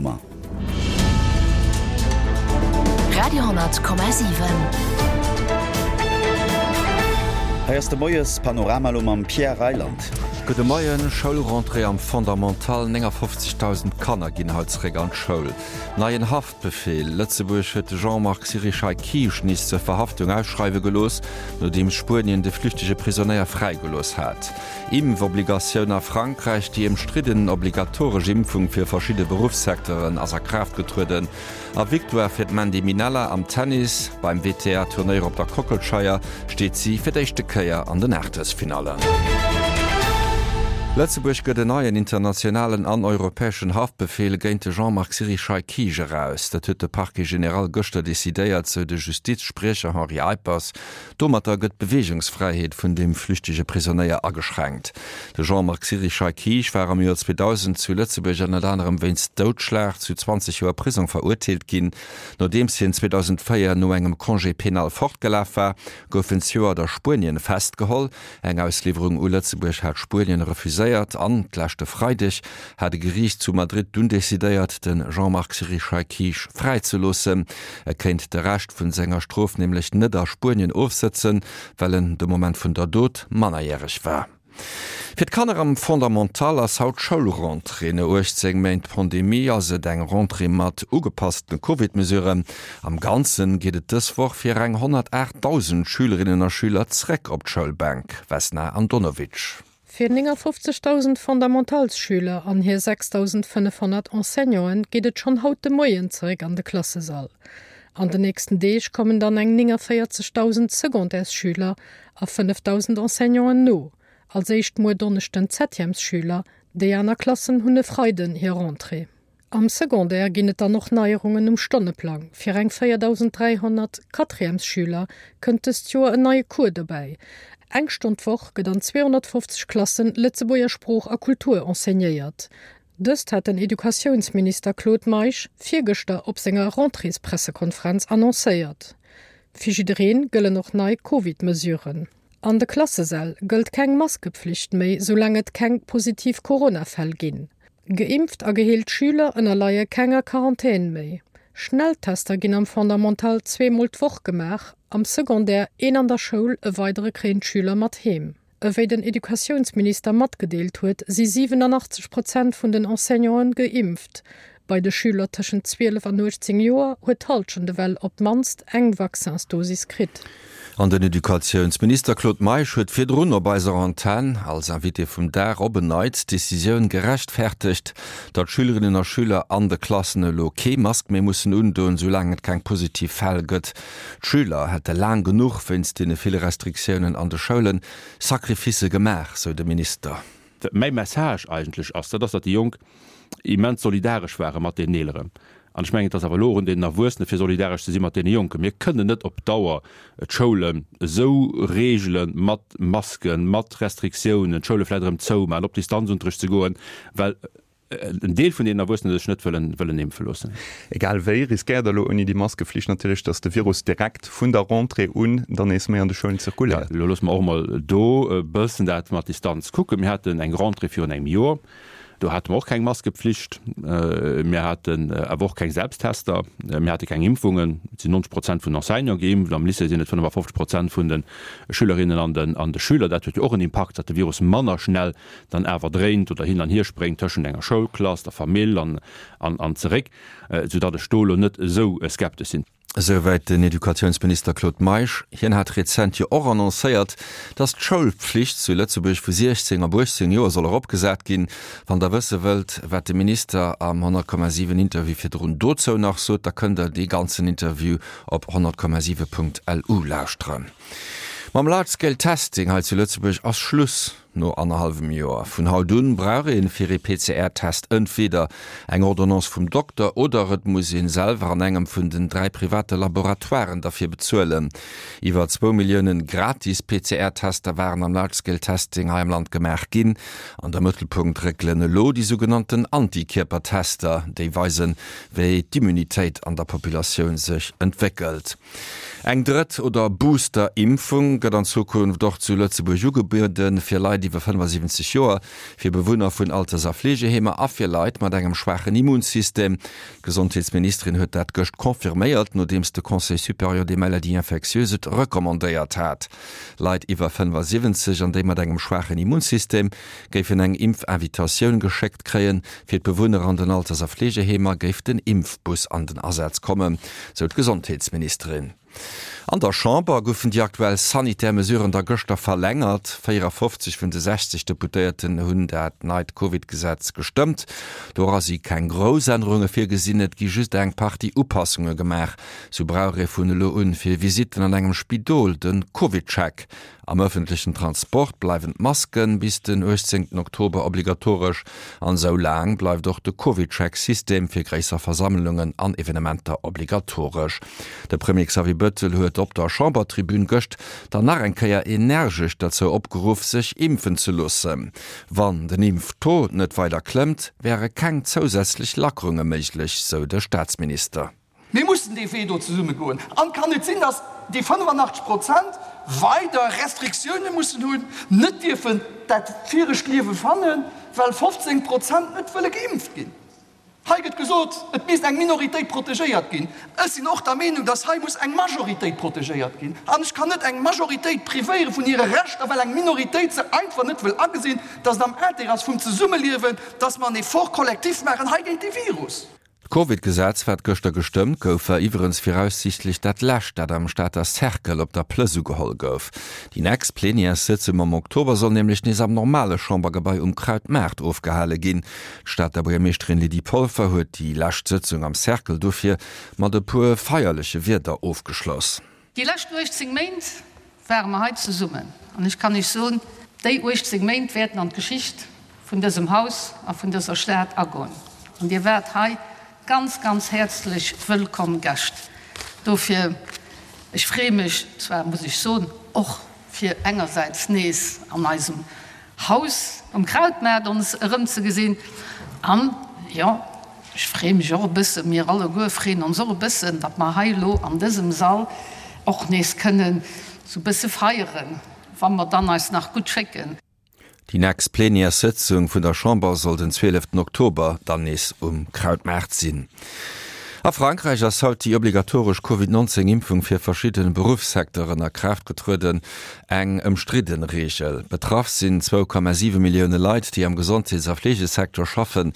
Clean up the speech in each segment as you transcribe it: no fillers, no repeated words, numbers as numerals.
Romain. Radio,7. Hei ass de Moies-Panorama elo mam Pierre Reyland. Gudde Moien, Schoulrentrée am Fondamental, 59.000 Kanner ginn haut zeréck an d'Schoul. Neien Haftbefeel, Lëtzebuerg huet de Jean-Marc Sirichai Kiisch nees zur Verhaftung ausschreiwe gelooss, nodeems Spuenien de flüchtege Prisonéier fräigelooss hat. Impfobligatioun a Frankräich, Déi ëmstridden obligatoresch Impfung fir verschidde Beruffssecteuren ass a Kraaft getrueden. A Victoire fir d'Mandy Minella am Tennis, Beim WTA-Turnéier op der Kockelscheier steet si fir d'éischte Kéier an den Aachtelsfinallen. Lëtzebuerg gëtt en neien internationalen an europäeschen Haftbefeel géint de Jean-Marc Sirichai Kiisch eraus. Dat huet de Parquet général gëschter decidéiert, sou de Justizspriecher Henri Eippers. Domatter gëtt d'Beweegungsfräiheet vun dem flüchtege Prisonéier ageschränkt. De Jean-Marc Sirichai Kiisch war am Joer 2000 zu Lëtzebuerg ënnert anerem wéinst Doudschlag zu 20 Joer Prisong verurteelt ginn. Nodeems hien 2004 no engem Congé pénal fortgelaf war, gouf en zejoert a Spuenien festgeholl. Eng Ausliwwerung u Lëtzebuerg hat Spuenien refuséiert an d'leschte Freideg hat e Geriicht zu Madrid dunn decidéiert, de Jean-Marc Sirichai Kiisch fräizeloossen. E kéint de Rescht vun senger Strof nämlech net a Spuenien ofsëtzen, well en de Moment vun der Dot mannerjäreg war. Fir d'Kanner am Fondamental ass haut Schoulrentrée. No 18 Méint Pandemie ass et eng Rentrée mat ugepasste Covid-Mesuren. Am Ganzen geet et dës Woch fir eng 108.000 Schülerinnen a Schüler zréck op d'Schoulbänk. Vesna Andonovic. Fir 59.000 Fondamentalsschüler an hir 6.500 Enseignanten geet et schonn haut de Moien zeréck an de Klassesall. An den nächsten Deeg kommen dann eng 49.000 Secondaires-Schüler a 5.000 Enseignanten no. Als éischt muer Donneschden d'Septièmesschüler, déi aner Klassen hunn e Freiden hir Rentrée. Am Secondaire ginn et dann och Neierungen um Stonneplang. Fir eng 4.300 Quatrièmesschüler kënnt dëst Joer en neie Cours dobäi. Eng Stonn d'Woch gëtt an 250 Klassen Lëtzebuerger Sprooch a Kultur enseignéiert. Dëst hat den Educatiounsminister Claude Meisch virgëschter op senger Rentréespressekonferenz annoncéiert. Fir jiddereen gëllen och nei Covid-Mesuren. An de Klassesäll gëllt keng Maskepflicht méi, soulaang et keng positiv Corona-Fäll ginn. Geimpft a geheelt Schüler ënnerleie kenger Quarantän méi. Schnelltester ginn am Fondamental zweemol d'Woch gemaach, am Secondaire een an der Schoul, e weidere kréien d'Schüler mat heem. Ewéi den Educatiounsminister matgedeelt huet, si 87 Prozent vun den Enseignanten geimpft. Bei de Schüler tëschent 12 an 18 Joer huet d'Hallschent ewell op d'mannst eng Vaccinsdosis kritt. An den Educatiounsminister Claude Meisch huet virdrun op eiser Antenn als Invité vum Dag op en Neits d'Decisioun gerechtfertegt, datt Schülerinnen a Schüler an de Klassen elo kee Mask méi mussen undoen, soulaang et keng positiv Fäll gëtt. D'Schüler hätte laang genuch wéinst deene ville Restriktiounen an de Schoulen Sacrificë gemaach, sou de Minister. Wat mäi Message eigentlech ass, dat ass, datt déi Jonk immens solidaresch ware mat deenen Eeleren. An ech mengen, et ass awer elo och un deenen Erwuessene fir solidaresch ze si mat deene Jonken. Mir kënnen net op Dauer d'Schoulen esou regele mat Masken, mat Restriktiounen, d'Schoule vläicht erëm zoumaachen, op Distanzunterricht ze goen, well en Deel vun deenen Erwuessene sech net wëllen, wëllen impfe loossen. Egal wéi, riskéiert Der elo ouni déi Maskeflicht natierlech, datt de Virus direkt vun der Rentrée un dann nees méi an de Schoulen zirkuléiert. Jo, elo loosse mer och emol do e bëssen dat mat Distanz kucken. Mir haten eng Rentrée virun engem Joer, do hate mer och keng Maskepflicht, mir haten awer och keng Selbsttester, mir hate keng Impfungen. Et sinn 90 Prozent vun den Enseignante geimpft, am Lycée sinn et 55 Prozent vun de Schülerinnen an de Schüler. Dat huet jo och en Impakt, datt de Virus manner schnell dann awer dréint oder hin an hier spréngt tëschent enger Schoulklass, der Famill an an zeréck, soudatt ech do elo net esou skeptesch sinn. Esouwäit den Educatiounsminister Claude Meisch. Hien hat rezent jo och annoncéiert, datt d'Schoulpflicht zu Lëtzebuerg vu 16 op 18 Joer soll eropgesat ginn. Wann der wësse wëllt, wat de Minister am 100,7 Interview virdrun dozou nach sot, da kënnt der dee ganzen Interview op 100,7.lu lauschteren. Mam Large Scale Testing hei zu Lëtzebuerg ass Schluss. No annerhallwem Joer. Vun haut un brauch een fir ee PCR-Test entweder eng Ordonnance vum Dokter oder et muss een selwer an engem vun den 3 private Laboratoiren derfir bezuelen. Iwwer zwou Milliounen gratis PCR-Tester waren am Large Scale Testing hei am Land gemaach ginn. An de Mëttelpunkt réckelen elo déi sougenannten Antikierpertester, déi weisen, wéi d'Immunitéit an der Populatioun sech entwéckelt. Eng drëtt oder Booster-Impfung gëtt an Zukunft och zu Lëtzebuerg ugebueden, fir Leit iwwer. iwwer 75 Joer, fir Bewunner vun Alters a Fleegeheemer a fir Leit mat engem schwaachen Immunsystem. D'Gesondheetsministerin huet dat gëscht confirméiert, nodeems de Conseil supérieur des maladies infectieuses et recommandéiert hat. Leit iwwer 75 an déi mat engem schwaachen Immunsystem géifen eng Impfinvitatioun geschéckt kréien. Fir d'Bewunner an den Alters a Fleegeheemer géif den Impfbus an den Asaz kommen, sou d'Gesondheetsministerin. An der Chamber goufen déi aktuell sanitär Mesuren da gëschter verlängert. 54 vun de 60 Deputéierten hunn dat neit Covid-Gesetz gestëmmt. Dora si keng grouss Ännerunge virgesinn, et gi just eng Partie Upassunge gemaach. Sou brauch ee vun elo un fir Visitten an engem Spidol de Covid-Check. Am ëffentlechen Transport bleiwen d'Masken bis den 18 Oktober obligatoresch an esou laang bleift och de CovidCheck-System fir gréisser Versammlungen an Evenementer obligatoresch. De Premier Xavier Bettel huet op der Chambertribün gëscht dann nach eng Kéier energesch derzou opgeruff, sech impfen ze loossen. Wann den Impftaux net weider klëmmt, wäre keng zousätzlech Lackerunge méiglech, sou de Staatsminister. Mir mussen dee Wee do zesumme goen. An et kann net sinn, dass déi 85 Prozent weider Restriktioune mussen hunn, net dierfen dat viregt Liewe fannen, well 15 Prozent net wëlle geimpft ginn. Hei gëtt gesot, et misst eng Minoritéit protegéiert ginn. Ech sinn och der Meenung, dass hei muss eng Majoritéit protegéiert ginn. An ech kann net eng Majoritéit privéiere vun hire Rechter, well eng Minoritéit se einfach net wëll agesinn, dass et am Intérêt ass vum Zesummeliewen, dass mer en Effort collectif maachen hei géint dee Virus. D'Covid-Gesetz, wat gëschter gestëmmt gouf, war iwwerens viraussiichtlech dat lescht, dat am Stater Cercle op der Plëss ugeholl gouf. Déi nächst Plenièressëtzung am Oktober soll nämlech nees am normale Chambergebai um Krautmaart ofgehale ginn. D'Stater Buergermeeschterin Lydie Polfer huet déi lescht Sëtzung am Cercle dofir mat e puer feierleche Wierder ofgeschloss. Déi lescht 18 Méint ware mer hei zesummen an ech kann Iech soen, déi 18 Méint wäerten an d'Geschicht vun dësem Haus a vun dëser Stad agoen. An Dir waart hei ganz, ganz häerzlech wëllkomm Gäscht. Dofir, ech freeë mech zwar, muss ech soen, och fir engersäits nees an eisem Haus um Krautmaart ons erëmzegesinn an, jo, ech freeë mech och e bëssen, mir alleguer freeën ons och e bëssen, datt mer hei elo an dësem Sall och nees kënnen esou e bësse feieren, wa mer dann eis nach gutt schécken. Déi nächst Plenièressëtzung vun der Chamber soll den 12 Oktober dann nees um Krautmaart sinn. A Frankräich ass haut déi obligatoresch Covid 19 Impfung fir verschidde Beruffssecteuren a Kraaft getrueden. Eng ëmstridden Reegel. Betraff sinn 2,7 Millioune Leit, déi am Gesondheets a Fleegesecteur schaffen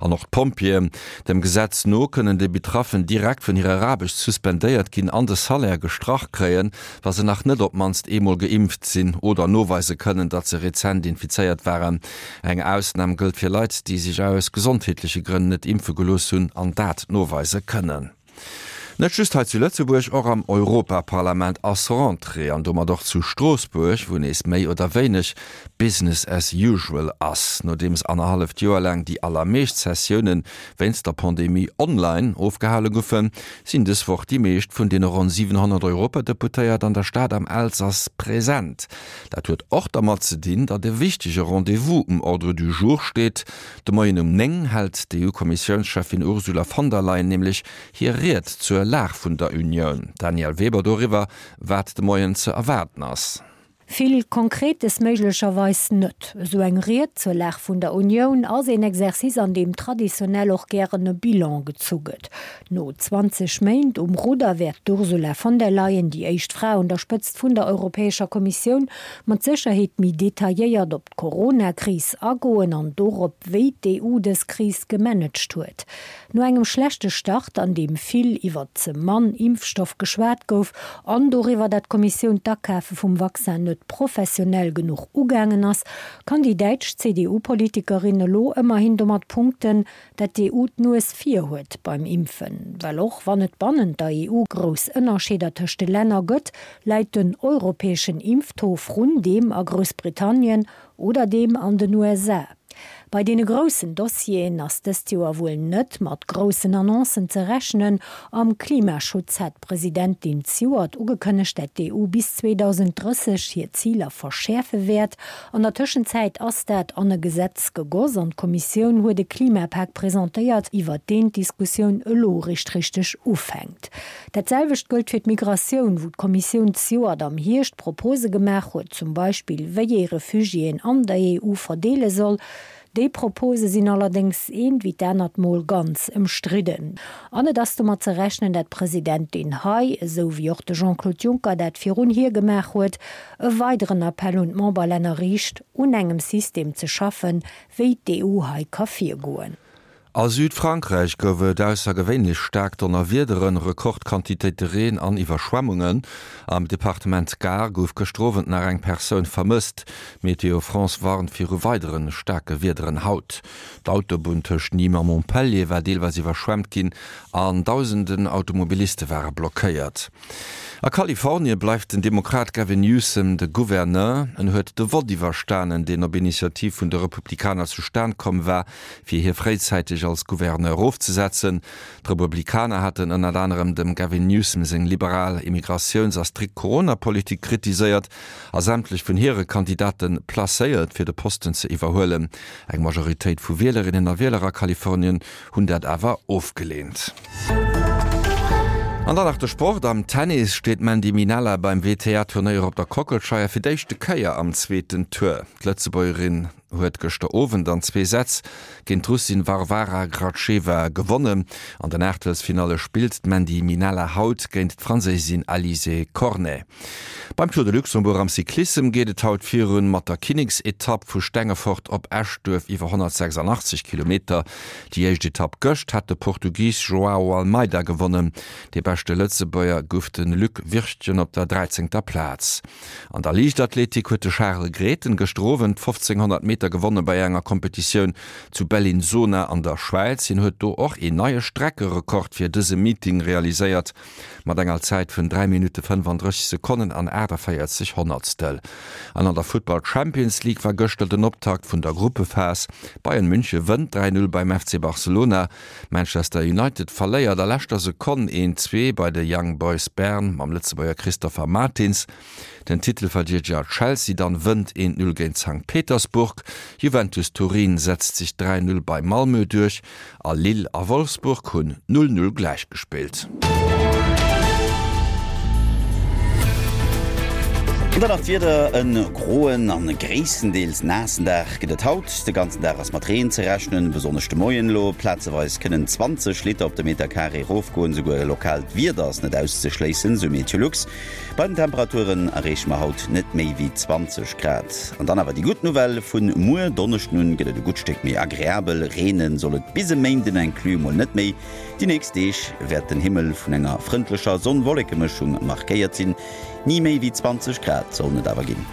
an och d'Pompjeeën. Dem Gesetz no kënnen déi Betraffen direkt vun hirer Aarbecht suspendéiert ginn an de Salaire gestrach kréien, wa se nach net op d'mannst eemol geimpft sinn oder noweise kënnen, datt se rezent infizéiert waren. Eng Ausnam gëllt fir Leit, déi sech aus gesondheetleche Grënn net impfe gelooss hunn an dat noweise kënnen. Net just hei zu Lëtzebuerg, och am Europaparlament ass Rentrée an domat och zu Stroossbuerg, wou nees méi oder wéineg Business as usual ass. Nodeems annerhalleft Joer laang déi allermeescht Sessioune wéinst der Pandemie online ofgehale goufen, sinn dës Woch déi meescht vun deene ronn 700 Europadeputéiert an der Stad am Elsass present. Dat huet och dermat ze dinn, datt e wichtege Rendez-vous um Ordre du jour steet. De Moien um 9 hält d'EU-Kommissiounscheffin Ursula von der Leyen nämlech hir Ried zur Lag vun der Unioun. D'Danièle Weber doriwwer, wat de Moien ze erwaarden ass. Vill Konkretes méiglecherweis net. Esou eng Ried zur Lag vun der Unioun ass een Exercice, an deem traditionell och gären e Bilan gezu gëtt. No 20 Méint um Rudder wäert d'Ursula von der Leyen, déi éischt Fra un der Spëtzt vun der Europäescher Kommissioun, mat Sécherheet méi detailléiert op d'Corona-Kris agoen an dorop, wéi d'EU dës Kris gemanagt huet. No engem schlechte Start, an deem vill iwwer ze mann Impfstoff geschwat gouf an doriwwer, dat d'Kommissioun d'Akafe vum Vaccin net professionell genuch ugaangen ass, kann déi däitsch CDU-Politikerin elo ëmmerhin domat punkten, dat d'EU d'Nues vir huet beim Impfen. Well och wann et bannent der EU grouss Ënnerscheeder tëscht de Länner gëtt, läit den europäeschen Impftaux vrun deem a Groussbritannien oder deem an den USA. Bei deene groussen Dossieren ass dëst Joer wuel net mat groussen Annoncen ze rechnen. Am Klimaschutz hat d'Presidentin zejoert ugekënnegt, dat d'EU bis 2030 hir Ziler verschäerfe wäert. An der Tëschenzäit ass dat an e Gesetz gegoss an d'Kommissioun huet e Klimapak presentéiert, iwwert deen d'Diskussioun elo eréischt richteg ufänkt. Dat selwecht gëllt fir d'Migratioun, wou d'Kommissioun zejoert am Hierscht Propose gemaach huet, zum Beispill wéi ee Refugiéen an der EU verdeele soll. Déi Propose sinn allerdéngs eent wéi d'anert Mol ganz ëmstridden. An et ass domat ze rechnen, dat d'Presidentin hei, esou wéi och de Jean-Claude Juncker dat virun hir gemaach huet, e weideren Appell un d'Memberlänner riicht, un engem System ze schaffen, wéi d'EU hei ka virgoen. A Südfrankräich gouf et aussergewéinlech staark Donnerwiederen, Rekordquantitéite Reen an Iwwerschwemmungen. Am Departement Gard gouf gëschter Owend nach eng Persoun vermësst. Météo France warnt viru weidere staarke Wiederen haut. D'Autobunn tëscht Nîmes a Montpellier war deelweis iwwerschwemmt ginn an dausenden Automobiliste ware blockéiert. A Kalifornie bleift den Demokrat Gavin Newsom de Gouverneur. En huet de Vott iwwerstanen, deen op Initiativ vun de Republikaner zustan komm war, fir hie fréizäiteg als Gouverneur erofzesetzen. D'Republikaner haten ënnert anerem dem Gavin Newsom seng liberal Immigratiouns a strikt Corona-Politik kritiséiert a sämtlech vun hire Kandidate placéiert, fir de Posten ze iwwerhuelen. Eng Majoritéit vu Wielerinnen a Wieler a Kalifornien hunn dat awer ofgeleent. An dann nach de Sport, Am Tennis steet d'Mandy Minella beim WTA-Turnéier op der Kockelscheier fir d'éischte Kéier am zweeten Tour. D'Lëtzebuergerin huet gëschter Owend an zwee Sätz géint d'Russin Varvara Gracheva gewonnen. An den Aachtelsfinalle spillt d'Mandy Minella haut géint d'Franséisin Alizé Cornet. Beim Tour de Luxembourg am Cyclissem geet et haut virun mat der Kinneksetapp vu Stengefort op Eschduerf iwwer 186 Kilometer. Déi éischt Etapp gëscht hat de Portugis Joao Almeida gewonnen. Dee beschte Lëtzebuerger gouf de Luc Wirtgen op der dräizéngter Plaz. An der Liichtathletik huet de Charel Grethen gëschter Owend 1500 Meter gewonne bei enger Kompetitioun zu Bellinzona an der Schwäiz. Hien huet do och een neie Streckerekord fir dëse Meeting realiséiert mat enger Zäit vun 3 Minutte 35 Sekonnen an 48 Honnertstel. An an der Futtball Champions League war gëschter den Optakt vun der Gruppephas. Bayern Münche wënnt 3, 0 beim FC Barcelona. Manchester United verléiert a leschter Sekonn een, 2 bei de Young Boys Bern mam Lëtzebuerger Christopher Martins. Den Titelverdeedeger Chelsea dann wënnt een, 0 géint Sankt Petersburg. Juventus Turin setzt sech 3, 0 bei Malmö duerch a Lille a Wolfsburg hunn 0, 0 gläichgespillt. An dann nach d'Wieder, E groen an gréisstendeels naassen Dag gëtt et haut. De ganzen Dag ass mat Reen ze rechnen, besonnesch de Moien elo. Plazeweis kënnen 20 Liter op de Meterkaree erofgoen, esouguer e lokaalt Wieder ass net auszeschléissen, sou Meteolux. Bei den Temperaturen erreeche mer haut net méi wéi 20 Grad. An dann awer déi gutt Nouvelle, Vun muer Donneschden un gëtt et e gutt Stéck méi agreabel, reene soll et bis e Méinden inclus mol net méi. Déi nächst Deeg wäert den Himmel vun enger frëndlecher Sonn-Wolleke-Mëschung markéiert sinn, ni méi wéi 20 Grad sollen et awer ginn.